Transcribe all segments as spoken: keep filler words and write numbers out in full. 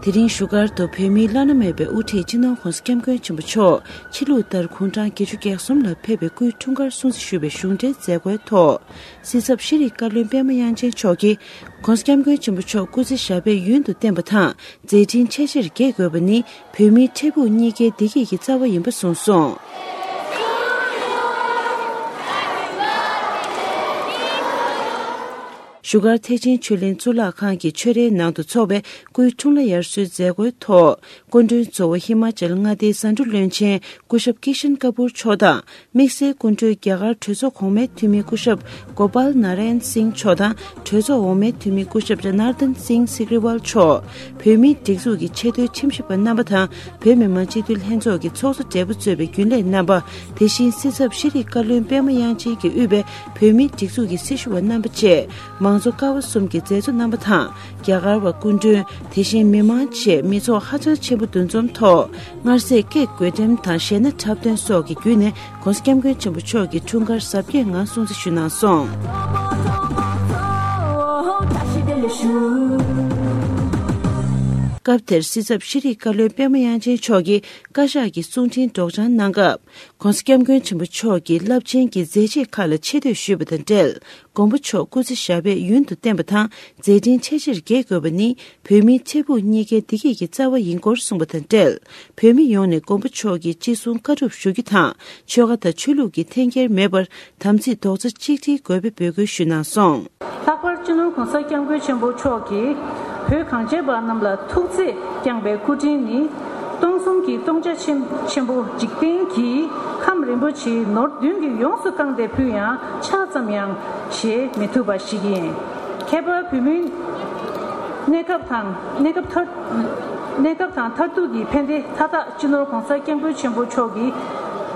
དེ་རིང་བཞུགས་སྒར་དུ་བོད་མིའི་བླ་ན་མེད་པའི་དབུ་ཁྲིད་སྤྱི་ནོར་༧གོང་ས་༧སྐྱབས་མགོན་ཆེན་པོ་མཆོག་ཕྱི་ལུགས་ལྟར་དགུང་གྲངས་བརྒྱད་ཅུ་གྱ་གསུམ་ལ་ཕེབས་པའི་སྐུའི་འཁྲུངས་སྐར་སྲུང་བརྩི་ཞུས་པའི་གཞུང་འབྲེལ་མཛད་སྒོའི་ཐོག་སྲིད་ཚབ་ཤེས་རིག་བཀའ་བློན་པད་མ་དབྱངས་ཅན་མཆོག་གིས། ༸གོང་ས་༧སྐྱབས་མགོན་ཆེན་པོ་མཆོག་སྐུ་ཚེ་ཞབས་པད་ཡུན་དུ་བརྟན་པ་དང་། མཛད་འཕྲིན་ཆེས་ཆེར་རྒྱས་དགོས་པ་ནི། བོད་མིའི་འཕྲལ་ཕུགས་གཉིས་ཀའི་བདེ་སྐྱིད་ཀྱི་རྩ་བ་ཡིན་པ་གསུངས་སོང་། བཞུགས་སྒར་ཐེག་ཆེན་ཆོས་གླིང་གཙུག་ལག་ཁང་གི་ཆོས་རའི་ནང་དུ་འཚོགས་པའི་སྐུའི་འཁྲུངས་ལྷ་དབྱར་གསོལ་མཛད་སྒོའི་ཐོག་སྐུ་མགྲོན་གཙོ་བོ་ཧི་མ་ཅལ་མངའ་སྡེའི་ཟ་འབྲུ་བློན་ཆེན་སྐུ་ཞབས་ཀི་ཤན་ཀ་པུར་མཆོག་དང་། དམིགས་བསལ་སྐུ་མགྲོན་རྒྱ་གར་གྲོས་ཚོགས་གོང་མའི་འཐུས་མི་སྐུ་ཞབས་གོ་པལ་ནཱ་ར་ཡན་སིང་མཆོག་དང་། གྲོས་ཚོགས་འོག་མའི་འཐུས་མི་སྐུ་ཞབས་ཇ་ནར་དན་སིང་སི་གྷི་རི་ཝལ་མཆོག་བོད་མིའི་སྒྲིག་འཛུགས་ཀྱི་ཆེས་མཐོའི་ཁྲིམས་ཞིབ་པ་རྣམ་པ་དང་། བོད་མི་མང་སྤྱི་འཐུས་ལྷན་ཚོགས་ཀྱི་ཚོགས་གཙོ་སྦྲེལ་པོ་གཙོས་པའི་རྒྱུན་ལས་རྣམ་པ། དེ་བཞིན་སྲིད་ཚབ་ཤེས་རིག་བཀའ་བློན་པད་མ་དབྱངས་ཅན་གྱིས་དབུས་པའི་བོད་མིའི་སྒྲིག་འཛུགས་ཀྱི་སྲི་ཞུ་བ་རྣམ་པ་བཅས། མང་གཙོ་ཀ་བ་གསུམ་གྱི་མཛད་གཙོ་རྣམ་པ་དང་། རྒྱ་གར་བ་སྐུ་མགྲོན། དེ་བཞིན་མི་མང་བཅས་མི་ཚོགས་ཧ་ཅང་ཆེན་པོ་འདུ་འཛོམས་ཐོག་སྔར་སྲས་སྐད་དགོད་འགྲེམས་དང་གཞས་སྣ་འཁྲབ་སྟོན་སོགས་ཀྱི་བརྒྱུད་ནས། ༸གོང་ས་༸སྐྱབས་མགོན་ཆེན་པོ་མཆོག་གི་འཁྲུངས་སྐར་གཟབ་རྒྱས་ངང་སྲུང་བརྩི་ཞུས་གནང་སོང་། སྐབས་དེར་སྲིད་ཚབ་ཤེས་རིག་བཀའ་བློན་པད་མ་དབྱངས་ཅན་མཆོག་གིས་བཀའ་ཤག་གི་གསུང་འཕྲིན་སྒྲོག་སྦྱང་གནང་སྐབས། ༸གོང་ས་༸སྐྱབས་མགོན་ཆེན་པོ་མཆོག་གིས་རླབས་ཆེན་གྱི་མཛད་རྗེས་ཁག་ལ་ཆེ་བསྟོད་ཞུས་པ་དང་འབྲེལ། མགོན་པོ་མཆོག་སྐུ་ཚེ་ཞབས་པད་ཡུན་དུ་བརྟན་པ་དང་། མཛད་འཕྲིན་ཆེས་ཆེར་རྒྱས་དགོས་པ་ནི། བོད་མིའི་འཕྲལ་ཕུགས་གཉིས་ཀའི་བདེ་སྐྱིད་ཀྱི་རྩ་བ་ཡིན་སྐོར་གསུངས་པ་དང་འབྲེལ། བོད་མི་ཡོངས་ནས་མགོན་པོ་མཆོག་གི་ཅི་གསུང་བཀའ་སྒྲུབ་ཞུ་རྒྱུ་དང་། ཆོལ་ཁ་དང་ཆོས་ལུགས་ཀྱི་འཐེན་འཁྱེར་མེད་པར། དམ་ཚིག་རྡོག་རྩ་གཅིག་སྒྲིལ་དགོས་པའི་འབོད་སྐུལ་ཞུས་གནང་སོང་། ལྷག་པར་སྤྱི་ནོར་༸གོང་ས་༸སྐྱབས་མགོན་ཆེན་པོ་མཆོག་གིས་བོད་གངས་ཅན་པ་རྣམས་ལ་ཐུགས་བརྩེས་བསྐྱངས་པའི་སྐུ་དྲིན་ནི། སྟོང་གསུམ་གྱི་སྟོང་རྒྱ་ཆེན་ཆེན་པོ་འཇིག་རྟེན་གྱི་ཁམས་རིན་པོ་ཆེའི་ནོར་བདུན་གྱིས་ཡོངས་སུ་བཀང་སྟེ་ཕུལ་ཡང་ཕྱག་ཙམ་ཡང་བཞེས་མི་ཐུབ་པ་ཞིག་ཡིན། ཁྱད་པར་བོད་མིའི་གནས་སྐབས་དང་གནས་སྐབས་མཐར་གནས་སྐབས་དང་མཐར་ཐུག་གི་ཕན་བདེ་མཐའ་དག་སྤྱི་ནོར་༸གོང་ས་༸སྐྱབས་མགོན་ཆེན་པོ་མཆོག་གི་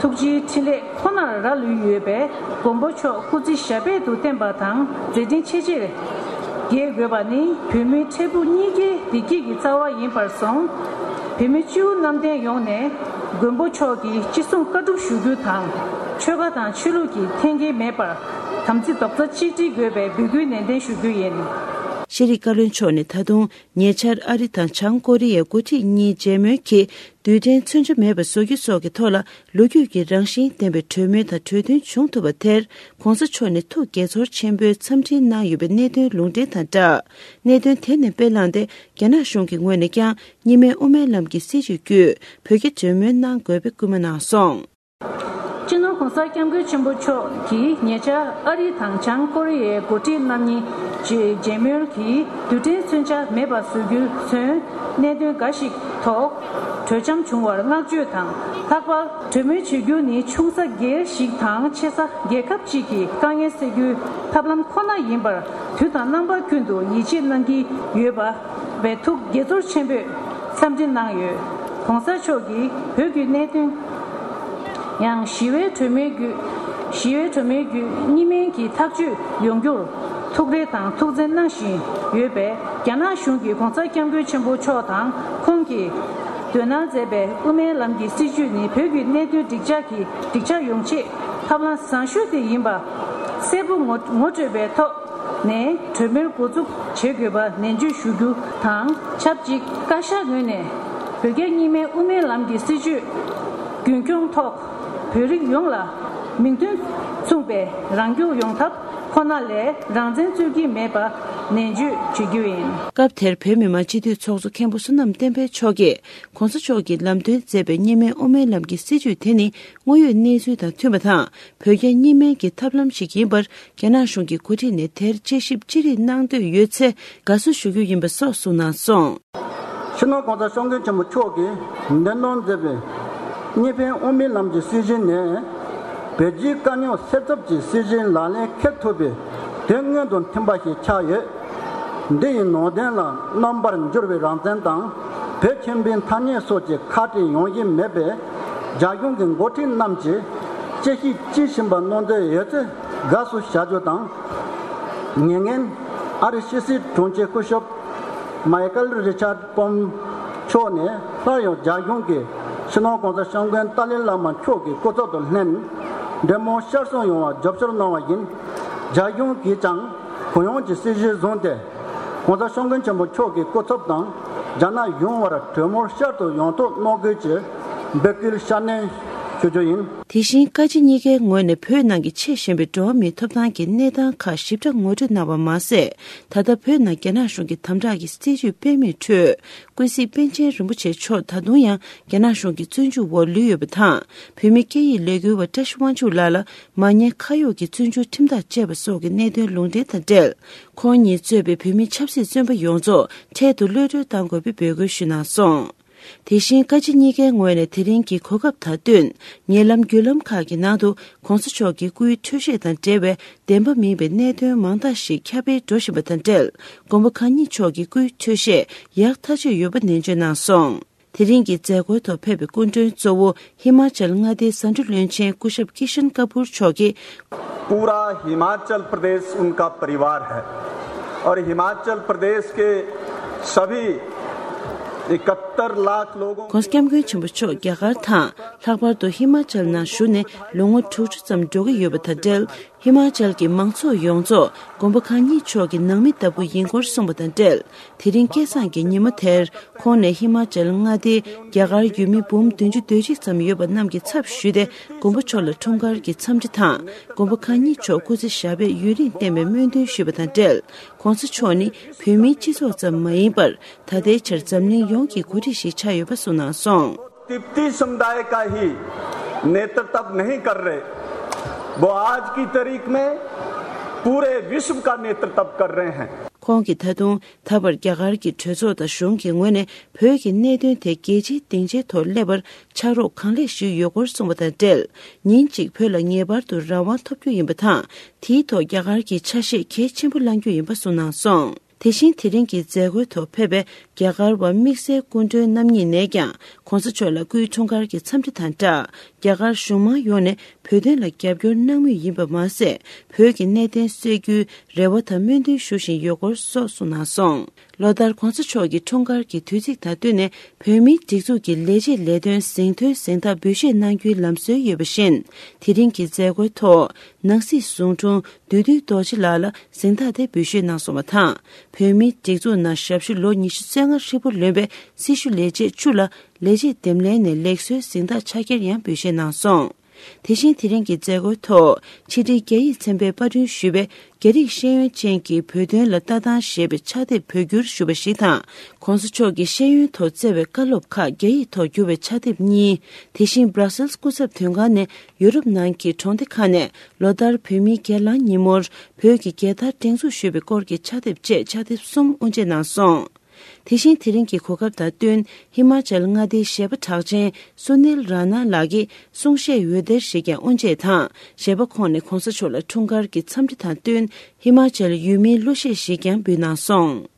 ཐུགས་རྗེའི་འཕྲིན་ལས་ཁོ་ནར་རག་ལུས་ཡོད་པས། མགོན་པོ་མཆོག་སྐུ་ཚེ་ཞབས་པད་དུ་བརྟན་པ་དང་མཛད་འཕྲིན་ཆེས་ཆེར་རྒྱས་དགོས་པ་ནི་བོད་མིའི་འཕྲལ་ཕུགས་གཉིས་ཀའི་བདེ་སྐྱིད་ཀྱི་རྩ་བ་ཡིན་པར་སོང་། བོད་མི་སྤྱི་བོ་གནམ་བསྟན་ཡོངས་ནས་མགོན་པོ་མཆོག་གི་ཅི་གསུང་བཀའ་སྒྲུབ་ཞུ་རྒྱུ་དང་། ཆོལ་ཁ་དང་ཆོས་ལུགས་ཀྱི་འཐེན་འཁྱེར་མེད་པར་དམ་ཚིག་རྡོག་རྩ་གཅིག་སྒྲིལ་དགོས་པའི་འབོད་སྐུལ་ནན་ཏན་ཞུ་རྒྱུ་ཡིན། ཤེས་རིག་བཀའ་བློན་མཆོག་ནས་ད་དུང་ཉེ་ཆར་ཨ་རི་དང་བྱང་ཀོ་རི་ཡའི་འགོ་ཁྲིད་གཉིས་མཇལ་མོལ་གྱིས། རྡུལ་ཕྲན་མཚོན་ཆ་མེད་པ་བཟོ་རྒྱུ་སོགས་ཀྱི་ཐོག་ལ་ལོ་རྒྱུས་ཀྱི་རང་བཞིན་ལྡན་པའི་གྲོས་མོལ་དང་གྲོས་མཐུན་བྱུང་ཐུབ་པ་དེར། ༸གོང་ས་མཆོག་ནས་ཐུགས་དགྱེས་ཚོར་ཆེན་པོས་འཚམས་འདྲི་གནང་ཡོད་པའི་གནད་དོན་ལུང་འདྲེན་དང་སྦྲགས། གནད་དོན་དེ་ནས་དཔེ་བླངས་ཏེ། རྒྱ་ནག་གཞུང་གི་ངོས་ནས་ཀྱང་གཉིས་སྨན་དབུ་མའི་ལམ་གྱི་སྲིད་བྱུས་བརྒྱུད་བོད་རྒྱ་གྲོས་མོལ་གནང་དགོས་པའི་སྐུལ་མ་གནང་སོང་། སྤྱི་ནོར་༸གོང་ས་༸སྐྱབས་མགོན་ཆེན་པོ་མཆོག་གིས་ཉེ་ཆར་ཨ་རི་དང་བྱང་ཀོ་རི་ཡའི་འགོ་ཁྲིད་རྣམ་གཉིས་ཀྱི་མཇལ་མོལ་གྱིས་རྡུལ་ཕྲན་མཚོན་ཆ་མེད་པ་བཟོ་རྒྱུར་མཚོན་གནད་དོན་འགའ་ཞིག་ཐོག་གྲོས་འཆམ་བྱུང་བར་བསྔགས་བརྗོད་དང་། ལྷག་པར་གྲོས་མོལ་བྱེད་རྒྱུ་ནི་ཆུང་ས་སྒེར་ཞིག་དང་ཆེ་ས་རྒྱལ་ཁབ་ཅིག་གི་དཀའ་ངལ་སེལ་རྒྱུའི་ཐབས་ལམ་ཁོ་ན་ཡིན་པར་དུས་དང་རྣམ་པ་ཀུན་ཏུ་ཡིད་ཆེས་གནང་གི་ཡོད་པ། བའི་ཐུགས་དགྱེས་ཚོར་ཆེན་པོས་འཚམས་འདྲི་གནང་ཡོད། ༸གོང་ས་མཆོག་གིས་བོད་ཀྱི་གནད་དོན་ཡང་ཞི་བའི་གྲོས་མོལ་བརྒྱུད། ཞི་བའི་གྲོས་མོལ་བརྒྱུད་གཉིས་སྨན་གྱི་ཐག་གཅོད་ཡོང་རྒྱུར་ཐུགས་རེ་དང་ཐུགས་བརྩེ་གནང་བཞིན་ཡོད་པས། རྒྱ་ནག་གཞུང་གིས་༸གོང་ས་༸སྐྱབས་མགོན་ཆེན་པོ་མཆོག་དང་ཁོང་གིས་འདོན་གནང་མཛད་པའི་དབུ་མའི་ལམ་གྱི་སྲིད་བྱུས་ནི་བོད་ཀྱི་གནད་དོན་འགྲིག་འཇགས་ཀྱི་འགྲིག་འཇགས་ཡོང་ཆེད་ཐབས་ལམ་བཟང་ཤོས་དེ་ཡིན་པ་གསལ་པོ་ངོ་ངོ་སྤྲོད་པའི་ཐོག་ནས་གྲོས་མོལ་འགོ་འཛུགས་བྱེད་དགོས་པ་ནན་བརྗོད་ཞུ་རྒྱུ་དང་། ཆབས་ཅིག་བཀའ་ཤག་ངོས་ནས་བོད་རྒྱ་གཉིས་སྨན་དབུ་མའི་ལམ་གྱི་སྲིད་བྱུས་རྒྱུན་འཁྱོངས་ཐོག་བོད་རིགས་ཡོངས་ལ་མིང་དོན་མཚུངས་པའི་རང་སྐྱོང་ཡོང་ཐབས་ཁོ་ན་ལས་རང་བཙན་རྩོད་ཀྱི་མེད་པ་ནན་བརྗོད་བྱེད་རྒྱུ་ཡིན། སྐབས་དེར་བོད་མི་མང་སྤྱི་འཐུས་ཚོགས་གཙོ་མཁན་པོ་བསོད་ནམས་བསྟན་འཕེལ་མཆོག་གིས་༸གོང་ས་མཆོག་གིས་ལམ་སྟོན་མཛད་པའི་གཉིས་སྨན་དབུ་མའི་ལམ་གྱི་སྲིད་བྱུས་དེ་ནི་དངོས་ཡོད་གནས་ཚུལ་དང་མཐུན་པ་དང་། བོད་རྒྱ་གཉིས་སྨན་གྱི་ཐབས་ལམ་ཞིག་ཡིན་པར་རྒྱ་ནག་གཞུང་གི་འགོ་ཁྲིད་ནས་དེར་དཔྱད་ཞིབ་ཅི་རིགས་གནང་འདོད་ཡོད་ཚེ་དགའ་བསུ་ཞུ་རྒྱུ་ཡིན་པ་སོགས་གསུངས་གནང་སོང་། སྤྱི་ནོར་༸གོང་ས་༸སྐྱབས་མགོན་ཆེན་པོ་མཆོག་གིས་འདོན་གནང་མཛད་པའི་གཉིས་སྨན་དབུ་མའི་ལམ་གྱི་སྲིད་བྱུས་ནི། བོད་རྒྱའི་དཀའ་རྙོག་སེལ་ཐབས་ཀྱི་སྲིད་བྱུས་ལག་ལེན་འཁེལ་ཐུབ་པའི་དོན་དངོས་དང་མཐུན་པ་ཞིག་ཆགས་ཡོད། འདི་ཡི་ནང་དོན་ལ་རྣམ་པར་འགྱུར་བའི་རང་བཙན་དང་། བོད་ཆེན་པོའི་ཐ་སྙད་སོགས་ཀྱི་ཁ་བྲལ་ཡོང་བཞིན་མེད་པས། རྒྱ་གཞུང་གི་འགོ་ཁྲིད་རྣམས་ཀྱིས་དཔྱད་ཞིབ་ཅི་བྱིན་པ་གནང་འདོད་ཡོད་ཚེ་དགའ་བསུ་བྱ་རྒྱུ་དང་། ཉེ་སྔོན་ཨ་རི་ཕྱི་སྲིད་དྲུང་ཆེ་སྐུ་ཞབས་མའི་ཀལ་རི་ཆར་པོམ་མཆོག་ནས་སླར་ཡང་རྒྱ་གཞུང་གིས་སྤྱི་ནོར་༸གོང་ས་༸སྐྱབས་མགོན་ཏཱ་ལའི་བླ་མ་མཆོག་གི་སྐུ་ཚབ་ཏུ་ལྷན་འབྲེལ་མོལ་བསྐྱར་གསོ་ཡོང་བར་རྒྱབ་སྐྱོར་གནང་བ་ཡིན། རྒྱ་གཞུང་གིས་ཀྱང་གུ་ཡངས་ཀྱི་སྲིད་བྱུས་བཟུང་སྟེ། ༸གོང་ས་༸སྐྱབས་མགོན་ཆེན་པོ་མཆོག་གི་སྐུ་ཚབ་དང་ རྒྱ་ནག་ཡོང་བར་གྲོས་མོལ་བསྐྱར་དུ་ཡོང་ཐབས་གནང་དགོས་ཀྱི་འབོད་སྐུལ་ཤུགས་ཆེན་ཞུ་རྒྱུ་ཡིན། དེ་བཞིན་བཀའ་སྤྱི་གཉིས་ཀའི་ངོས་ནས་བོད་ནང་གི་ཆེས་ཞན་པའི་འགྲོ་བ་མིའི་ཐོབ་ཐང་གི་གནས་སྟངས་ཁག་ཞིབ་ཕྲ་ངོ་སྤྲོད་གནང་བ་མ་ཟད། ད་ལྟ་བོད་ནང་རྒྱ་ནག་གཞུང་གི་དམ་དྲག་གི་སྲིད་བྱུས་སྤེལ་མུས་ཁྲོད། ཀུན་གཟིགས་པཎ་ཆེན་རིན་པོ་ཆེ་མཆོག་ད་དུང་ཡང་རྒྱ་ནག་གཞུང་གི་བཙོན་འཇུག་འོག་ལུས་ཡོད་པ་དང་། བོད་མིའི་སྐད་ཡིག་ལས་འགུལ་བ་བཀྲ་ཤིས་དབང་ཕྱུག་ལགས་ལ་མ་ཉེས་ཁ་གཡོགས་ཀྱི་བཙོན་འཇུག་ཁྲིམས་ཐག་བཅད་པ་སོགས་ཀྱི་གནད་དོན་ལུང་འདྲེན་དང་འབྲེལ། ཁོང་ཉིད་གཙོས་པའི་བོད་མིའི་ཆབ་སྲིད་བཙོན་པ་ཡོངས་རྫོགས་འཕྲལ་དུ་གློད་གྲོལ་གཏང་དགོས་པའི་འབོད་སྐུལ་ཞུས་གནང་སོང་། དེ་བཞིན་བཀའ་སྤྱི་གཉིས་ཀའི་ངོས་ནས་དེ་རིང་གི་གོ་སྐབས་དང་བསྟུན། ཉེ་ལམ་བརྒྱུད་ལམ་ཁག་གི་ནང་དུ་༸གོང་ས་མཆོག་གི་སྐུའི་འཕྲོད་བཞེས་དང་འབྲེལ་བའི་བདེན་པ་མིན་པའི་གནད་དོན་མང་དག་ཞིག་ཁྱབ་སྤེལ་འགྲོ་བཞིན་པ་དང་འབྲེལ། མགོན་པོ་གང་ཉིད་མཆོག་གི་སྐུའི་འཕྲོད་བཞེས་ཡག་ཐག་ཆོད་ཡོད་པ་ནན་བརྗོད་གནང་སོང་། དེ་རིང་གི་མཛད་སྒོའི་ཐོག་ཕེབས་པའི་སྐུ་མགྲོན་གཙོ་བོ་ཧི་མ་ཅལ་མངའ་སྡེའི་ཟ་འབྲུ་བློན་ཆེན་སྐུ་ཞབས་ཀི་ཤན་ཀ་པུར་མཆོག་གིས། पूरा हिमाचल प्रदेश उनका परिवार है और हिमाचल प्रदेश के सभी इकहत्तर लाख लोगों को༸གོང་ས་༸སྐྱབས་མགོན་ཆེན་པོ་མཆོག་རྒྱ་གར་དང་ལྷག་པར་དུ་ཧི་མ་ཅལ་ནང་བཞུགས་ནས་ལོ་ངོ་དྲུག་ཅུ་ཙམ་འགྲོ་གི་ཡོད་པ་དང་འབྲེལ། ཧི་མ་ཅལ་གྱི་མང་ཚོགས་ཡོངས་རྫོགས་མགོན་པོ་གང་ཉིད་མཆོག་གི་ནང་མི་ལྟ་བུ་ཡིན་སྐོར་གསུངས་པ་དང་འབྲེལ། དེ་རིང་སྐལ་བཟང་གི་ཉིན་མོ་དེར་ཁོང་ནས་ཧི་མ་ཅལ་མངའ་སྡེའི་རྒྱ་གར་ཡུལ་མི་འབུམ་བདུན་ཅུ་དོན་གཅིག་ཙམ་ཡོད་པ་རྣམས་ཀྱི་ཚབ་ཞུས་ཏེ་མགོན་པོ་མཆོག་ལ་འཁྲུངས་སྐར་གྱི་འཚམས་འདྲི་དང་མགོན་པོ་གང་ཉིད་མཆོག་སྐུ་ཚེ་ཞབས་པད་ཡུན་རིང་བརྟན་པའི་སྨོན་འདུན་ཞུས་པ་དང་འབྲེལ། ༸གོང་ས་མཆོག་ནི་བོད་མིའི་སྤྱི་ཚོགས་ཙམ་མ་ཡིན་པར་ད་ལྟའི་ཆར་འཛམ་གླིང་ཡོངས་ཀྱི་འགོ་ཁྲིད་ཞིག་ཆགས་ཡོད་པ་གསུངས་གནང་སོང་། तिब्बती समुदाय का ही नेतृत्व नहीं कर रहे, वो आज की तारीख में पूरे विश्व का नेतृत्व कर रहे हैं। ཁོང་གིས་ད་དུང་ད་བར་རྒྱ་གར་གྱི་གྲོས་ཚོགས་དང་གཞུང་གི་ངོས་ནས་བོད་ཀྱི་གནད་དོན་དེ་རྒྱལ་སྤྱིའི་སྡིངས་ཆའི་ཐོག་སླེབས་པར་ཕྱག་རོགས་གང་ལེགས་ཞུས་ཡོད་སྐོར་གསུངས་པ་དང་འབྲེལ། ཉིན་གཅིག་བོད་ལ་ངེས་པར་དུ་རང་དབང་ཐོབ་རྒྱུ་ཡིན་པ་དང་། དེའི་ཐོག་རྒྱ་གར་གྱི་ཆ་ཤས་གལ་ཆེན་པོ་བླང་རྒྱུ་ཡིན་པ་གསུངས་གནང་སོང་། དེ་བཞིན་དེ་རིང་གི་མཛད་སྒོའི་ཐོག་ཕེབས་པའི་རྒྱ་གར་བ་དམིགས་བསལ་སྐུ་མགྲོན་རྣམ་གཉིས་ནས་ཀྱང་༸གོང་ས་མཆོག་ལ་སྐུའི་འཁྲུངས་སྐར་གྱི་འཚམས་འདྲི་དང་སྦྲགས། རྒྱ་གར་གཞུང་མང་ཡོངས་ནས་བོད་དོན་ལ་རྒྱབ་སྐྱོར་གནང་མུས་ཡིན་པ་མ་ཟད། བོད་ཀྱི་གནད་དོན་སེལ་རྒྱུའི་རེ་བ་དང་སྨོན་འདུན་ཞུ་བཞིན་ཡོད་སྐོར་སོགས་གསུངས་གནང་སོང་། ལོ་ལྟར་༸གོང་ས་མཆོག་གི་འཁྲུངས་སྐར་གྱི་དུས་ཚིགས་དང་བསྟུན་ནས་བོད་མིའི་སྒྲིག་འཛུགས་ཀྱི་ལས་བྱེད་ལས་དོན་གཟེངས་ཐོན་གཟེངས་རྟགས་འབུལ་བཞེས་གནང་རྒྱུའི་ལམ་སྲོལ་ཡོད་པ་བཞིན། དེ་རིང་གི་མཛད་སྒོའི་ཐོག་ནང་སྲིད་ཟུང་དྲུང་བདུད་འདུལ་རྡོ་རྗེ་ལགས་ལ་གཟེངས་རྟགས་དེ་འབུལ་བཞེས་གནང་སོང་བ་དང་། བོད་མིའི་སྒྲིག་འཛུགས་ནང་ཞབས་ཞུ་ལོ་ཉི་ཤུ་རྩ་ལྔ་ཧྲིལ་པོ་ལོན་པའི་སྲི་ཞུ་ལས་བྱེད་བཅུ་ལ་ལས་བྱེད་འདེམས་ལྷན་ནས་ལེགས་གསོའི་གཟེངས་རྟགས་ཕྱག་འཁྱེར་ཡང་འབུལ་བཞེས་གནང་སོང་། དེ་བཞིན་དེ་རིང་གི་མཛད་སྒོའི་ཐོག་ཕྱི་དྲིལ་རྒྱ་ཡིག་ཚན་པས་པར་སྐྲུན་ཞུས་པའི་རྒྱ་རིགས་ཤེས་ཡོན་ཅན་གྱིས་བོད་དོན་ལ་ལྟ་སྟངས་ཞེས་པའི་ཕྱག་དེབ་བོད་བསྒྱུར་ཞུས་པ་ཞིག་དང་། ༸གོང་ས་མཆོག་གི་ཤེས་ཡོན་ཐོག་བསྩལ་བའི་བཀའ་སློབ་ཁག་རྒྱ་ཡིག་ཐོག་བསྒྱུར་བའི་ཕྱག་དེབ་གཉིས། དེ་བཞིན་སྦྲ་སེལ་སྐུ་ཚབ་དོན་ཁང་ནས་ཡུ་རོབ་ནང་གི་གྲོང་སྡེ་ཁག་ནས་ལོ་ལྟར་བོད་མིའི་སྒེར་ལངས་ཉིན་མོར་བོད་ཀྱི་རྒྱལ་དར་སྒྲེང་འཛུགས་ཞུས་པའི་སྐོར་གྱི་ཕྱག་དེབ་བཅས་ཕྱག་དེབ་གསུམ་དབུ་འབྱེད་གནང་སོང་། དེ་བཞིན་དེ་རིང་གི་གོ་སྐབས་དང་བསྟུན་ཧི་མ་ཅལ་མངའ་སྡེའི་གཞས་པ་གྲགས་ཅན་སུ་ནིལ་རཱ་ན་ལགས་ཀྱིས་གསུང་བཤད་འོད་སྡེར་ཞིག་ཀྱང་དབུ་འབྱེད་དང་། གཞས་པ་ཁོང་ནས་༸གོང་ས་མཆོག་ལ་འཁྲུངས་སྐར་གྱི་འཚམས་འདྲི་དང་བསྟུན་ཧི་མ་ཅལ་ཡུལ་མིའི་གླུ་གཞས་ཤིག་ཀྱང་འབུལ་གནང་སོང་།